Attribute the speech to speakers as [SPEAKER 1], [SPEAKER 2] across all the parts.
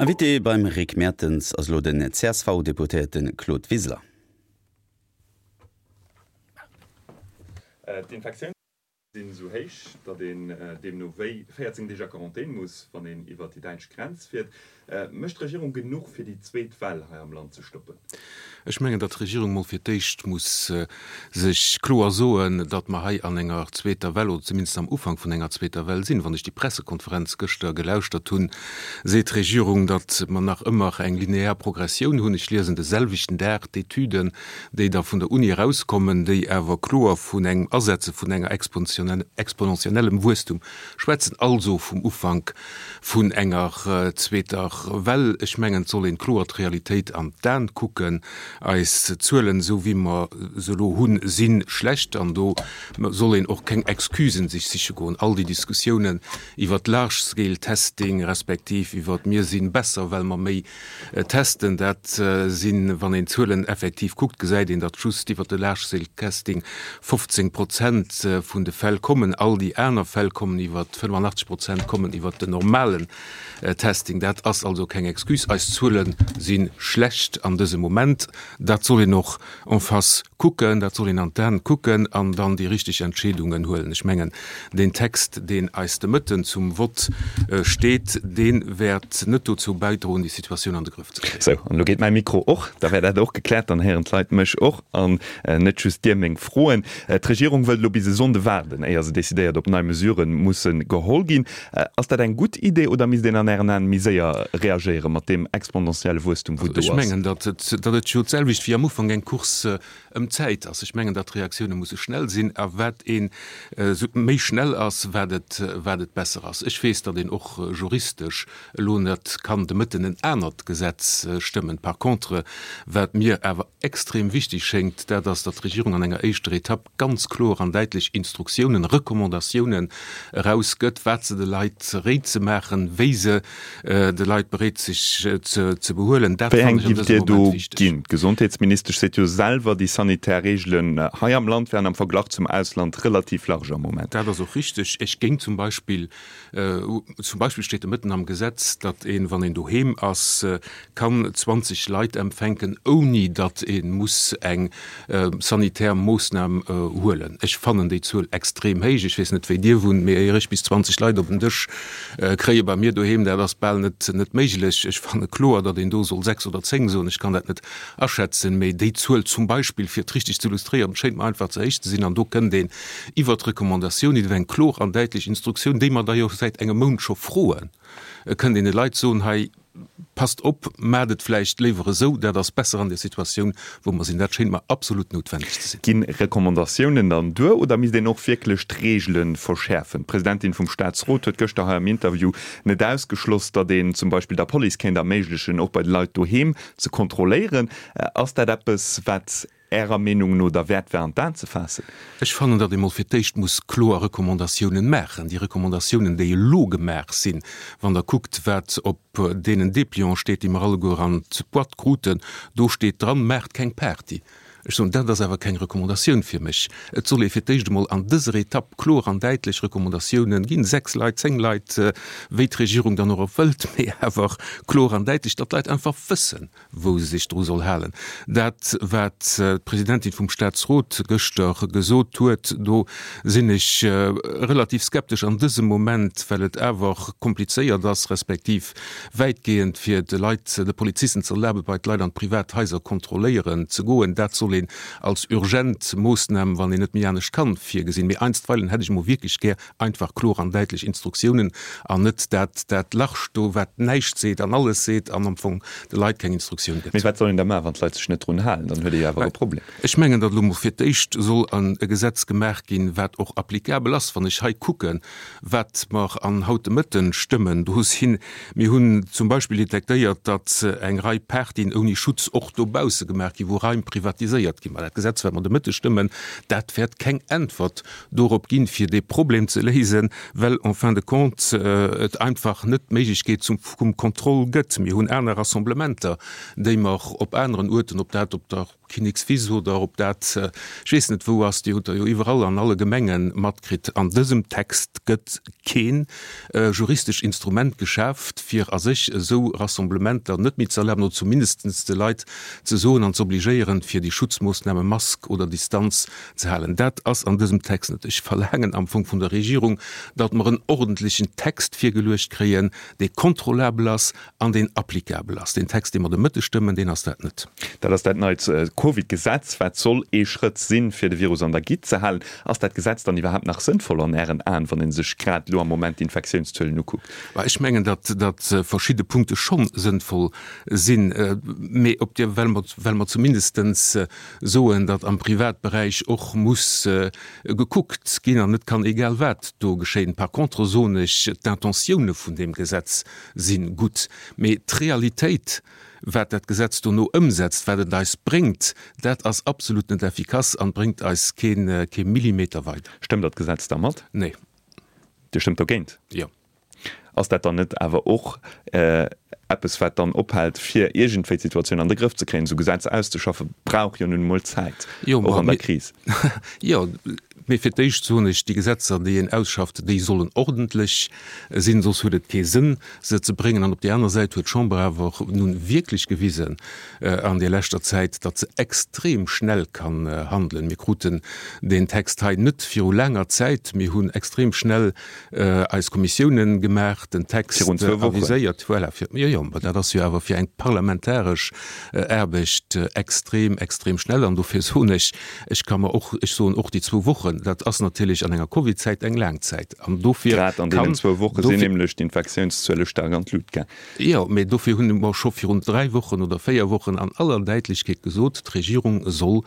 [SPEAKER 1] Invité beim Rick Mertens ass elo den CSV-Deputéierte Claude Wiseler.
[SPEAKER 2] D'Infektiounszuele sinn esou héich, datt een deemno wéi 14 Deeg a Quarantän muss, wann een iwwer déi däitsch Grenz fiert. Mécht d'Regierung genuch, fir déi zweet Well hei am Land ze stoppen?
[SPEAKER 3] Ech mengen, datt d'Regierung mol fir d'éischt muss sech kloer soen, datt mer hei an enger zweeter Well oder zumindest am Ufank vun enger zweeter Well sinn. Wann ech déi Pressekonferenz gëschter gelauschtert hunn, seet d'Regierung, datt mer nach ëmmer eng linear Progressioun hunn. Ech liesen de selwechten Dag d'Etüden, déi da vun der Uni erauskommen, déi awer kloer vun engem Asetze vun enger exponentiellem Wuesstum schwätzen, also vum Ufank vun enger zweeter Well. Ech mengen, et soll een kloer d'Realitéit an d'Aen kucken. Eis Zuelen, esou wéi mer se elo hunn, si schlecht an do soll een och keng Excusen sech siche goen. All déi Diskussiounen iwwert large scale testing respektiv iwwert mir si besser, well mer méi Testen, dat sinn, wann een d'Zuelen effektiv kuckt, gesäit een, datt just iwwer de Large-Scale-Testing 15 Prozent vun de Fäll kommen. All déi aner Fäll kommen iwwer, 85 Prozent kommen iwwer den normalen Testing. Dat ass also keng Excuse. Eis Zuele si schlecht an dësem Moment. Dat soll een och en face kucken, dat soll een an d'Aen kucken an dann déi richteg Entscheedungen huelen. Ech mengen, deen Text, deen eis de Mëtten zum Vott steet, dee wäert net dozou bäidroen, déi Situatioun an de Grëff ze kréien.
[SPEAKER 2] Sou, an elo geet mäi Mikro och. Da wär dat och gekläert. Dann héieren d'Leit mech och an net just Dir meng Froen. D'Regierung wëllt elo bis e Sonnde waarden, éier se decidéiert, ob nei Mesurë musse geholl ginn. Ass dat eng gutt Idee oder misst een an Ären Aen méi séier reagéiere mat deem exponentielle Wuesstum, wou do
[SPEAKER 3] ass? Ech mengen, datt et jo d'selwecht wéi am Ufank eng Course ëm d'Zäit ass. Ech mengen, datt d'Reaktioune musse schnell sinn a wat ee méi schnell ass, wat et wat et besser ass. Ech weess, datt een och juristesch elo net kann de Mëtten en anert Gesetz stëmmen. Par contre, wat mir awer extrem wichteg schéngt, dat ass, datt d'Regierung an enger éischter Etapp ganz kloer an däitlech Instruktiounen, Recommandatiounen erausgëtt, wat se de Leit réit ze maachen, wéi se de Leit beréit sech ze behuelen.
[SPEAKER 2] Dat Wéi eng fannen ech an giff dësem Dir do Moment wichteg. ginn? D'Gesondheetsministesch seet jo selwer, déi sanitär Reegelen hei am Land wären am Verglach zum Ausland relativ large am Moment.
[SPEAKER 3] Dat ass och richteg. Ech géing zum Beispill, zum Beispill steet de Mëtten am Gesetz, datt een, wann een doheem ass, kann 20 Leit empfänken, ouni datt ee muss eng sanitär Moossnam huelen. Ech fannen déi Zuel extrem héich. Ech weess net, wéi Dir wunnt, mee éier ech bis 20 Leit op en Dësch kréie bei mir doheem, dat ass bal net net méiglech. Ech fanne kloer, datt een do soll 6 oder 10 soen. Ech kann dat net aschätzen, mee déi Zuel zum Beispill, fir et richteg ze illustréieren, schéint mer einfach ze héich ze sinn. An do kënnt een iwwert d'Recommandatioun, iwwer eng kloer an däitlech Instruktioun, déi mer da jo säit engem Mount scho froen, kënnt een de Leit soen, hei, Passt op, maacht et vläicht léiwer esou, dat ass besser an der Situatioun, wou mer sinn. Dat schéint mer absolut noutwendeg ze sinn.
[SPEAKER 2] Ginn Recommandatiounen dann duer oder misst een och wierklech d'Reegele verschäerfen? D'Presidentin vum Staatsrot huet gëschter hei am Interview net ausgeschloss, datt een zum Beispill der Police kéint erméiglechen, och bei de Leit doheem ze kontrolléieren. Ass dat eppes, wat Ärer Meenung no derwäert war an d'Aen ze faassen?
[SPEAKER 3] Ech fannen, datt ee mol fir d'éischt muss kloer Recommandatiounen maachen. Déi Recommandatiounen, déi elo gemaach sinn, wann Der kuckt, wat op deenen Déplianten steet, déi mer alleguer an d'Boîte kruten, do steet dran, Maacht keng Party. Ech soen, dat ass awer keng Recommandatioun fir mech. Et soll ee fir d'éischt emol an dëser Etapp kloer an däitlech Recommandatiounen ginn, sechs Leit, zéng Leit, wéi d'Regierung dann och wëllt, mee awer kloer an däitlech, datt d'Leit einfach wëssen, wou se sech dru soll halen. Dat, wat d'Presidentin vum Staatsrot gëschter gesot huet, do sinn ech relativ skeptesch an dësem Moment, well et awer komplizéiert ass, respektiv wäitgehend, fir de Leit, de Polizisten ze erlaben, bei d'Leit an d'privat Haiser kontrolléieren ze goen. Dat soll een als urgent Moossnam, wann een net méi anescht kann, virgesinn. Mee einstweilen hätt ech emol wierklech gär Einfach kloer an däitlech Instruktiounen an net dat dat Large do, wat näischt seet an alles seet an am Fong de Leit keng Instruktioun
[SPEAKER 2] gëtt. Mee wat soll een da maachen, wann d'Leit sech net drun halen? Dann huet ee jo awer e Problem.
[SPEAKER 3] Ech mengen, datt elo mol fir d'éischt soll e Gesetz gemaach ginn, wat och applicabel ass. Wann ech hei kucken, wat mer an haut de Mëtten stëmmen, do sinn, mir hunn zum Beispill detektéiert, datt eng Rei Partyen ouni Schutz och dobausse gemaach ginn, wou Raim privatiséiert ginn. Mä dat Gesetz, wat mer de Mëtte stëmmen, dat wäert keng Äntwert dorop ginn, fir dee Problem ze léisen, well en fin de compte et einfach net d'Méiglechkeet zum vum Contrôle gëtt. Mir hunn aner Rassemblementer, déi mer op aneren Uerten, ob dat op der. d'Kinnekswiss oder ob dat ech weess net wou ass, Dir hutt der jo iwwerall an alle Gemenge matkritt, an dësem Text gëtt keen juristesch Instrument geschaaft, fir a sech esou Rassemblementer net méi ze erlaben oder zumindest de Leit ze soen an ze obligéieren, fir déi Schutzmoossname Mask oder Distanz ze halen. Dat ass an dësem Text net. Ech verlaangen am Fong vun der Regierung, datt mer en ordentlechen Text virgeluecht kréien, dee kontrollabel ass an deen applicabel ass. Deen Text, dee mer de Mëtteg stëmmen, deen ass dat net.
[SPEAKER 2] Dat ass dat neit Covid-Gesetz, wat soll ee Schrëtt sinn, fir de Virus an der Gitt ze halen. Ass dat Gesetz dann iwwerhaapt nach sënnvoll an Ären Aen, wann ee sech grad elo am Moment d'Infektiounszuelen ukuckt?
[SPEAKER 3] Bah, ech mengen, datt, datt verschidde Punkte scho sënnvoll sinn, mee op der, well mer, well mer zumindestens soen, datt am Privatberäich och muss gekuckt ginn an net kann egal wat do geschéien. Par contre soen ech, d'Intentioune vun deem Gesetz si gutt, mee d'Realitéit, wat dat Gesetz dono ëmsetzt, wat et eis bréngt, dat ass absolut net effikass an bréngt eis kee kee Millimeter weider.
[SPEAKER 2] Stëmmt Der d'Gesetz da mat?
[SPEAKER 3] Nee.
[SPEAKER 2] Dir stëmmt dogéint?
[SPEAKER 3] Jo.
[SPEAKER 2] Ass dat dann net awer och eppes, wat dann ophält, fir iergendwéi d'Situatioun an de Grëff ze kréien? Esou Gesetzer auszeschaffe brauch jo nun emol Zäit, och an der Kris.
[SPEAKER 3] Jo, mee fir d'éischt soen ech, déi Gesetzer, déi een ausschafft, déi sollen ordentlech sinn, soss huet et kee Sënn, se ze bréngen. An op där aner Säit huet d'Chamber awer och nun wierklech gewisen an där leschter Zäit, datt se extrem schnell kann handelen. Mir kruten deen Text hei net viru laanger Zäit. Mir hunn extrem schnell eis Kommissiounen gemaach, den Text aviséiert. Voilà, fir, jo, jo, mä dat ass jo awer fir eng parlamentaresch Aarbecht extrem, extrem schnell. An dofir soen ech, ech ka mer och, ech soen och déi zwou Wochen, dat ass natierlech an enger Covidzäit eng laang Zäit.
[SPEAKER 2] An dofir Grad an deenen zwou Woche sinn nämlech d'Infektiounszuele staark an d'Lut gaang.
[SPEAKER 3] Jo, mä dofir hunn mer scho virun dräi Wochen oder véier Wochen an aller Däitlechkeet gesot, d'Regierung soll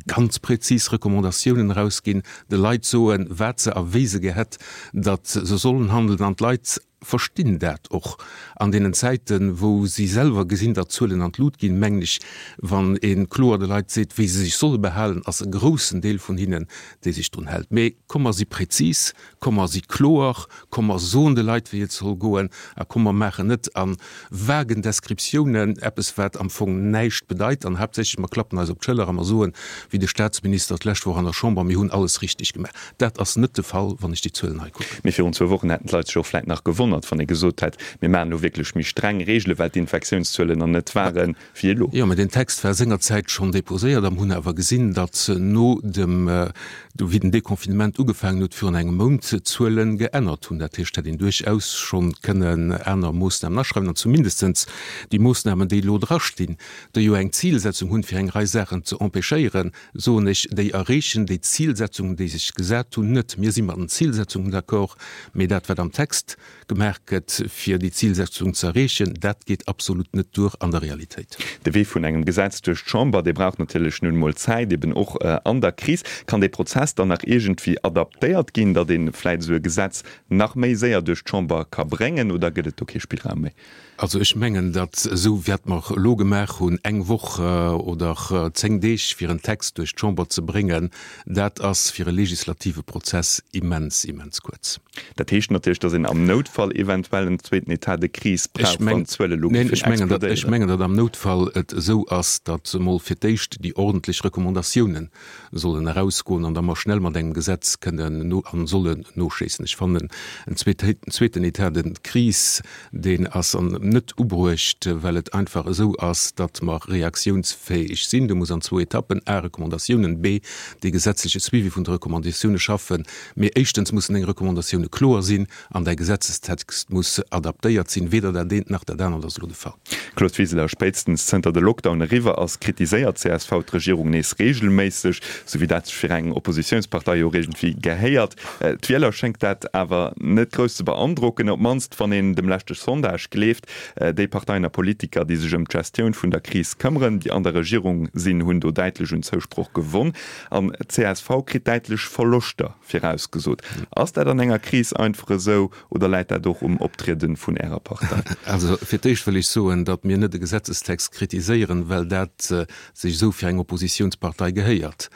[SPEAKER 3] ganz präzis Recommandatiounen erausginn, de Leit soen, wat se a wéi se gär hätt, datt se sollen handeln. An d'Leit verstinn dat och an deenen Zäiten, wou si selwer gesinn, datt d'Zuelen an d'Lut ginn, mengen ech, wann ee kloer de Leit seet, wéi se sech solle behalen, ass e groussen Deel vun hinnen, dee sech drun hält. Mee komm mer si präzis, komm mer si kloer, komm mer soen de Leit, wéi et soll goen, a komm mer maachen net a vagen Descriptiounen, eppes wat am Fong näischt bedeit, an haaptsächlech mer klappen eis op d'Schëller a mer soen, wéi de Statsminister d'lescht Woch an der Chamber, mir hunn alles richtig gemaach. Dat ass net de Fall, wann ech déi Zuelen hei kucken.
[SPEAKER 2] Mee virun zwou Wochen hätten d'Leit sech och vläit nach gewonnert, wann ee gesot hätt, mir maachen elo wierklech méi streng Reegelen, well d'Infektiounszuelen nach net waren, wéi elo.
[SPEAKER 3] Jo, mä deen Text war sengerzäit schonn déposéiert a mer hunn awer gesinn, datt no dem, wéi den Déconfinement ugefaangen huet virun engem Mount, d'Zuele geännert hunn. Dat heescht, hätt een duerchaus schonn kënnen aner Moossnamen aschreiwen an zumindestens déi Moossnamen, déi elo drastinn, déi jo eng Zilsetzung hunn, fir eng Rei Saachen ze empêchéieren, soen ech, déi erreechen déi Zilsetzungen, déi sech gesat hunn, net. Mir si mat den Zilsetzungen d'accord, mä dat, wat am Text gemaach gëtt, fir déi Zilsetzung ze erreechen, dat geet absolut net duer an der Realitéit.
[SPEAKER 2] De Wee vun engem Gesetz duerch d'Chamber, dee brauch natierlech nun emol Zäit, eben och an der Kris. Kann dee Prozess dann nach iergendwéi adaptéiert ginn, datt ee vläit esou e Gesetz nach méi séier duerch d'Chamber ka bréngen, oder gëtt et do kee Spillraum méi?
[SPEAKER 3] Also ech mengen, datt esou wat mer elo gemaach hunn, eng Woch oder zéng Deeg fir en Text duerch d'Chamber ze bréngen, dat ass fir e legislative Prozess immens, immens kuerz.
[SPEAKER 2] Dat heescht natierlech, datt een am Noutfall eventuell en zweeten État de crise brauch, wann d'Zuele
[SPEAKER 3] elo géifen explodéieren. Ech mengen, datt am Noutfall et esou ass, datt emol fir d'éischt déi ordentlech Recommandatiounen sollen erausgoen an da mer schnell mat engem Gesetz kënnen no an sollen noschéissen. Ech fannen, en zweeten État de crise, deen ass an net ubruecht, well et einfach esou ass, datt mer reaktiounsfäeg sinn. Do muss an zwou Etappen, a Recommandatiounen, b dee gesetzleche Suivi vun de Recommandatiounen schaffen. Mee éischtens mussen deng Recommandatioune kloer sinn an däi Gesetzestext muss adaptéiert sinn. Weder dat eent nach dat anert ass elo de Fall.
[SPEAKER 2] Claude Wiseler, Spéitstens zënter de Lockdown eriwwer ass, kritiséiert csv d'Regierung nees reegelméisseg, sou wéi dat sech fir eng Oppositiounspartei jo och iergendwéi gehéiert. D'Wieler schéngt dat awer net grouss ze beandrocken, op d'mannst wann een dem leschte Sondage gleeft. Déi Parteien a Politiker, déi sech ëm d'Gestioun vun der Kris këmmeren, déi an der Regierung sinn, hunn do däitlech un Zousproch gewonn. An csv kritt däitlech Verloschter virausgesot. Ass dat an enger Kris einfach esou oder läit dat och um Optriede vun Ärer Partei?
[SPEAKER 3] Also fir d'éischt wëll ech soen, datt mir net e Gesetzestext kritiséieren, well dat sech esou fir eng Oppositiounspartei gehéiert.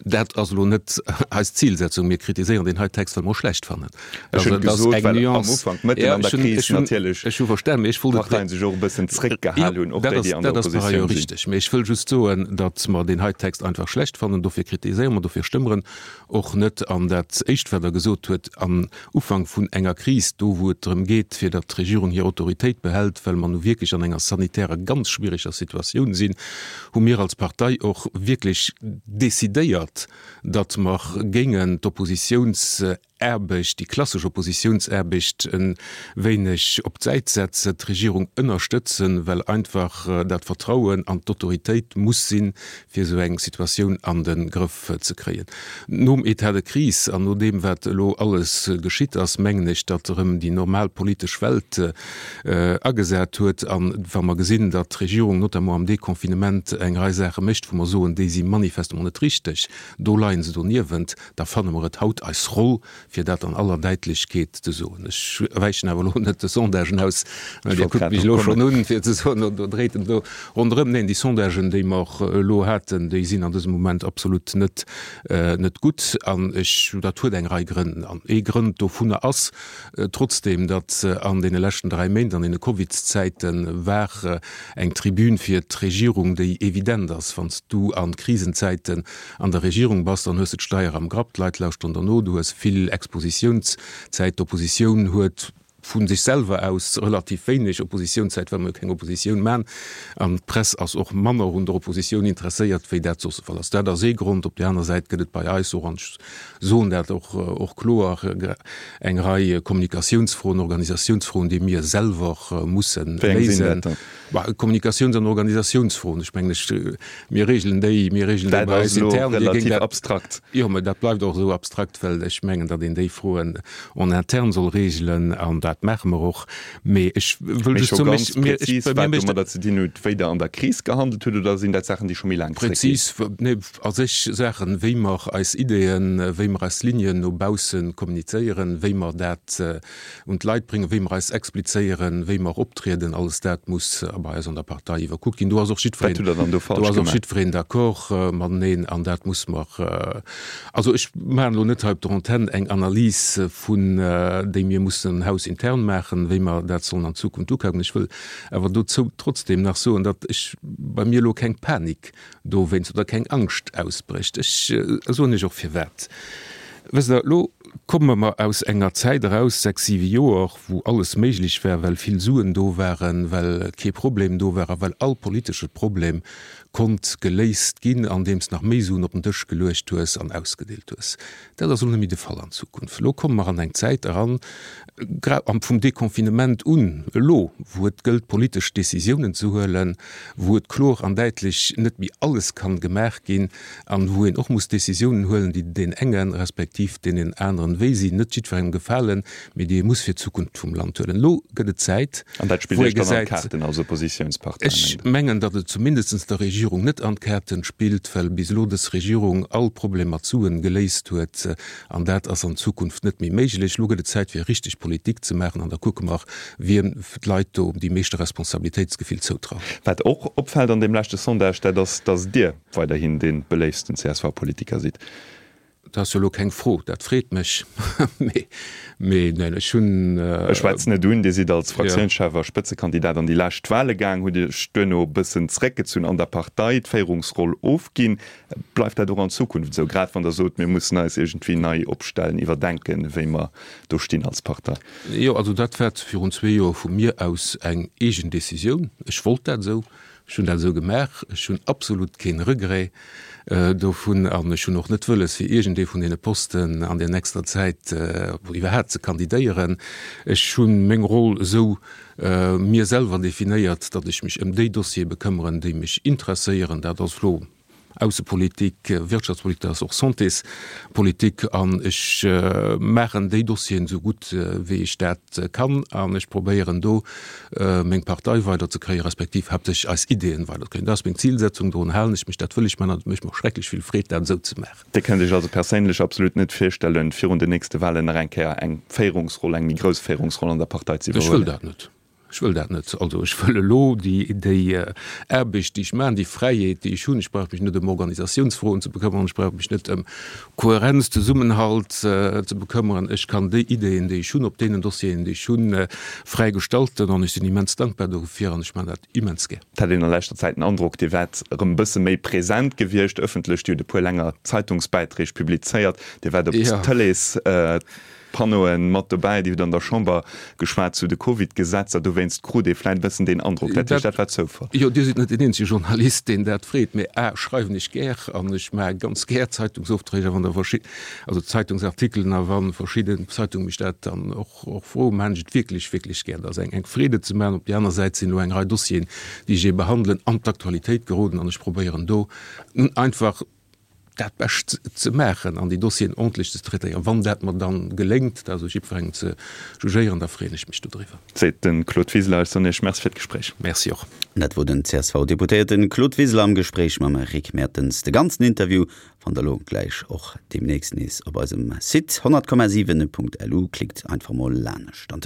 [SPEAKER 3] Dat ass elo net eis Zilsetzung. Mir kritiséieren deen hei Text, well mer e schlecht fannen.
[SPEAKER 2] Ech hunn et gesot, well am Ufank, mëtten an der Kris natierlech,
[SPEAKER 3] Ech hu verstan, mee ech wollt et.
[SPEAKER 2] d'Parteien sech och e bëssen zréckgehal hunn, och déi, déi an der
[SPEAKER 3] Dat ass par
[SPEAKER 2] Oppositioun
[SPEAKER 3] ailleurs
[SPEAKER 2] sinn.
[SPEAKER 3] richteg. Mee ech wëll just soen, datt mer deen hei Text einfach schlecht fannen. Dofir kritiséiere mer, dofir stëmme mer en och net. An dat Éischt, wat Der gesot huet, am Ufank vun enger Kris, do wou et drëm geet, fir datt d'Regierung hir Autoritéit behält, well mer nu wierklech an enger sanitärer ganz schwiereger Situatioun sinn, hu mir als Partei och wierklech decidéiert, datt mer géingen d'Oppositiounsaarbecht, déi klassesch Oppositiounsaarbecht e wéineg op d'Säit setzen, d'Regierung ënnerstëtzen, well einfach dat Vertrauen an d'Autoritéit muss sinn, fir esou eng Situatioun an de Grëff ze kréien. Nom État de crise an no deem, wat elo alles geschitt ass, mengen ech, datt erëm déi normal politesch Welt agesat huet. A wa mer gesinn, datt d'Regierung notamment am Deconfinement eng Rei Saache mécht, wou mer soen, déi si manifestement net richteg, do leie se doniewent, da fanne mer et haut eis Roll, fir dat an aller Däitlechkeet ze soen. Ech wäichen awer elo net de Sondagen aus, well Dir kuckt mech elo schonn un, fir ze soen, do dréit en do ronderëm. Neen, déi Sondagen, déi mer elo haten, déi sinn an dësem Moment absolut net, net gutt. An ech, dat huet eng Rei Grënn. An ee Grënd dovunner ass trotzdeem, datt an deene leschten 3 Méint, an deene Covidszäite war eng Tribün fir d'Regierung, déi evident ass, Wann s du a Krisenzäiten an der Regierung bass, dann hues de d'Steier am Grapp, d'Leit lauschteren der no, du hues vill Expositiounszäit, d'Oppositioun huet vu sech selwer aus relativ wéineg Oppositiounszäit, well mer jo keng Oppositioun man, an d'Press ass och manner un der Oppositioun interesséiert, wéi dat soss de Fall ass. Dat ass ee Grond. Op där aner Säit gëtt et bei eis och, an ech soen dat och och kloer, eng Rei Kommunikatiounsfroen, Organisatiounsfroen, déi mir selwer musse
[SPEAKER 2] Wéi eng sinn
[SPEAKER 3] léisen.
[SPEAKER 2] dat dann?
[SPEAKER 3] Kommunikatiouns an Organisatiounsfroen, ech mengen, ech, mir regelen déi, mir regelen déi
[SPEAKER 2] Dat
[SPEAKER 3] bei
[SPEAKER 2] ass
[SPEAKER 3] eis
[SPEAKER 2] elo
[SPEAKER 3] intern. Dir géingt
[SPEAKER 2] relativ
[SPEAKER 3] dat,
[SPEAKER 2] abstrakt.
[SPEAKER 3] jo, mä dat bleift och esou abstrakt, well ech mengen, datt een déi Froen en interne soll regelen, an dat maache mer och. Mee ech wëll
[SPEAKER 2] Mee
[SPEAKER 3] just
[SPEAKER 2] scho
[SPEAKER 3] soen,
[SPEAKER 2] ganz
[SPEAKER 3] mech, mir, ech,
[SPEAKER 2] präzis,
[SPEAKER 3] bei mir
[SPEAKER 2] wat
[SPEAKER 3] mécht
[SPEAKER 2] domadder ze dinn huet, wéi Der an der Kris gehandelt hutt, oder sinn dat Saachen, déi scho méi laang zréckginn?
[SPEAKER 3] Präzis, nee, a sech Saachen, wéi mer eis Ideeën, wéi mer eis Lignen no bausse kommunizéieren, wéi mer dat un d'Leit bréngen, wéi mer eis explizéieren, wéi mer optrieden, alles dat muss bei eis an der Partei iwwerkuckt ginn. Do ass och
[SPEAKER 2] Wat
[SPEAKER 3] jiddwereen,
[SPEAKER 2] hutt Der dann do
[SPEAKER 3] do
[SPEAKER 2] falsch
[SPEAKER 3] ass och
[SPEAKER 2] gemaach?
[SPEAKER 3] jiddwereen d'accord mateneen an dat muss mer, also ech maachen elo net hei op der Antenn eng Analys vun, déi mir mussen hausintern maachen, wéi mer dat sollen an Zukunft ukaken. Ech wëll awer dozou trotzdem nach soen, datt ech bei mir elo keng Panik dowéinst oder keng Angscht ausbrécht. Ech soen Iech och firwat. Wësst Der, elo komme mer aus enger Zäit eraus, sechs, siwe Joer, wou alles méiglech war, well vill Suen do waren, well kee Problem do war a well all politesche Problem konnt geléist ginn, andeems nach méi Suen op den Dësch geluecht hues an ausgedeelt hues. Dat ass elo net méi de Fall an Zukunft. Elo komme mer an eng Zäit eran, gra vum Deconfinement un, elo wou et gëllt politesch Décisiounen ze huelen, wou et kloer an däitlech net méi alles kann gemaach ginn an wou een och muss Décisiounen huelen, déi deen engen respektiv deenen aneren wéi sinn, net jiddwerengem gefalen, mee déi ee muss fir d'Zukunft vum Land huelen. Elo gëtt et Zäit,
[SPEAKER 2] An dat spillt
[SPEAKER 3] wou ee
[SPEAKER 2] Iech dann an
[SPEAKER 3] gesäit,
[SPEAKER 2] d'Kaarten als Oppositiounspartei,
[SPEAKER 3] Ech
[SPEAKER 2] mengt Der?
[SPEAKER 3] mengen, datt et zumindestens der Regierung net an d'Kaarten spillt, well bis elo dës Regierung all Problem mat Suen geléist huet. An dat ass an Zukunft net méi méiglech. Elo gëtt et Zäit, fir richteg Politik ze maachen an da kucke mer, wiem d'Leit do déi meeschte Responsabilitéitsgefill zoutrauen.
[SPEAKER 2] Wat och opfält an deem leschte Sondage, dat ass, datt Dir weiderhin dee beléiftsten CSV-Politiker sidd.
[SPEAKER 3] Dat ass jo elo keng Fro, dat freet mech. Mee, mee neen, ech hunn.
[SPEAKER 2] Ech schwätzen et un, Dir sidd als Fraktiounschef a Spëtzekandidat an déi lescht Wale gaang, hutt Iech duerno e bëssen zeréckgezunn an der Partei, d'Féierungsroll ofginn. Bleift dat och an Zukunft esou, grad wann Der sot, mir mussen eis iergendwéi nei opstellen, iwwerdenken, wéi mer do stinn als Partei?
[SPEAKER 3] Jo, also dat war virun zwee Joer vu mir aus eng eegen Decisioun. Ech wollt dat esou. Ech hunn dat esou gemaach. Ech hunn absolut kee Regret dovun an ech hunn och net wëlles, fir iergendee vun deene Posten an der nächster Zäit iwwerhaapt ze kandidéieren. Ech hu meng Roll esou mir selwer definéiert, datt ech mech ëm déi Dossiere bekëmmeren, déi mech interesséieren. Dat ass elo Aussepolitik, Wirtschaftspolitik, dat ass och Santéspolitik an ech maachen déi Dossieren esou gutt wéi ech dat kann an ech probéieren do meng Partei weiderzekréien, respektiv haaptsächlech eis Ideeën weiderzekréien. Dat ass meng Zilsetzung, dorun halen ech mech, dat wëll ech maachen an et mécht mer och schrecklech vill Freed dat esou ze maachen.
[SPEAKER 2] Dir kënnt Iech also perséinlech absolut net virstellen, virun den nächste Wahlen nach eng Kéier eng Féierungsroll, eng méi grouss Féierungsroll an der Partei ze
[SPEAKER 3] Ech wëll
[SPEAKER 2] iwwerhuelen?
[SPEAKER 3] dat net. Ech wëll dat net. Also ech wëll elo déi, déi Aarbecht, déi ech maachen, déi Fräiheet, déi ech hunn, ech brauch mech net ëm Organisatiounsfroen ze bekëmmeren, ech brauch mech net ëm Kohärenz, Zesummenhalt ze bekëmmeren. Ech kann déi Ideeën, déi ech hunn, op deenen Dossieren, déi ech hunn, fräi gestalten an ech sinn immens dankbar dofir an ech maachen dat immens gär.
[SPEAKER 2] Et hat een a leschter Zäit den Androck, Dir waart erëm e bësse méi present gewiescht ëffentlech. Dir hutt e puer länger Zeitungsbäiträg publizéiert, Dir waart op d'Tëlees. Panneauen mat dobäi. Dir hutt an der Chamber geschwat zu de Covid-Gesetzer. Dowéinst krut ee vläit e bëssen deen Androck. Dat heescht, dat war Zoufall?
[SPEAKER 3] Jo, Dir sidd net deen eenzege Journalist, deen dat freet. Mee a schreiwen ech gär an ech maache ganz gär Zeitungsopträg a wann da verschid-, also Zeitungsartikelen a wa verschidden Zeitunge mech dat dann och, och froen, maachen ech et wierklech, wierklech gär. Dat ass eng, eng Freed et ze maachen. Op där aner Säit sinn elo eng Rei Dossieren, déi ech ee behandelen, an d'Aktualitéit geroden an ech probéieren do einfach, dat Bescht ze maachen an déi Dossieren ordentlech ze traitéieren. Wann dat mer dann geléngt, dat ass u jiddwerengem ze jugéieren, da freeën ech mech dodriwwer.
[SPEAKER 2] Seet de Claude Wiseler. Ech soen Iech Merci fir d'Gespréich.
[SPEAKER 3] Merci och.
[SPEAKER 1] Dat wor den CSV-Deputéierten Claude Wiseler am Gespréich mam Rick Mertens. De ganzen Interview fannt der lo gläich och deemnächst nees op eisem Site 100,7.lu. Klickt einfach mol laanescht an.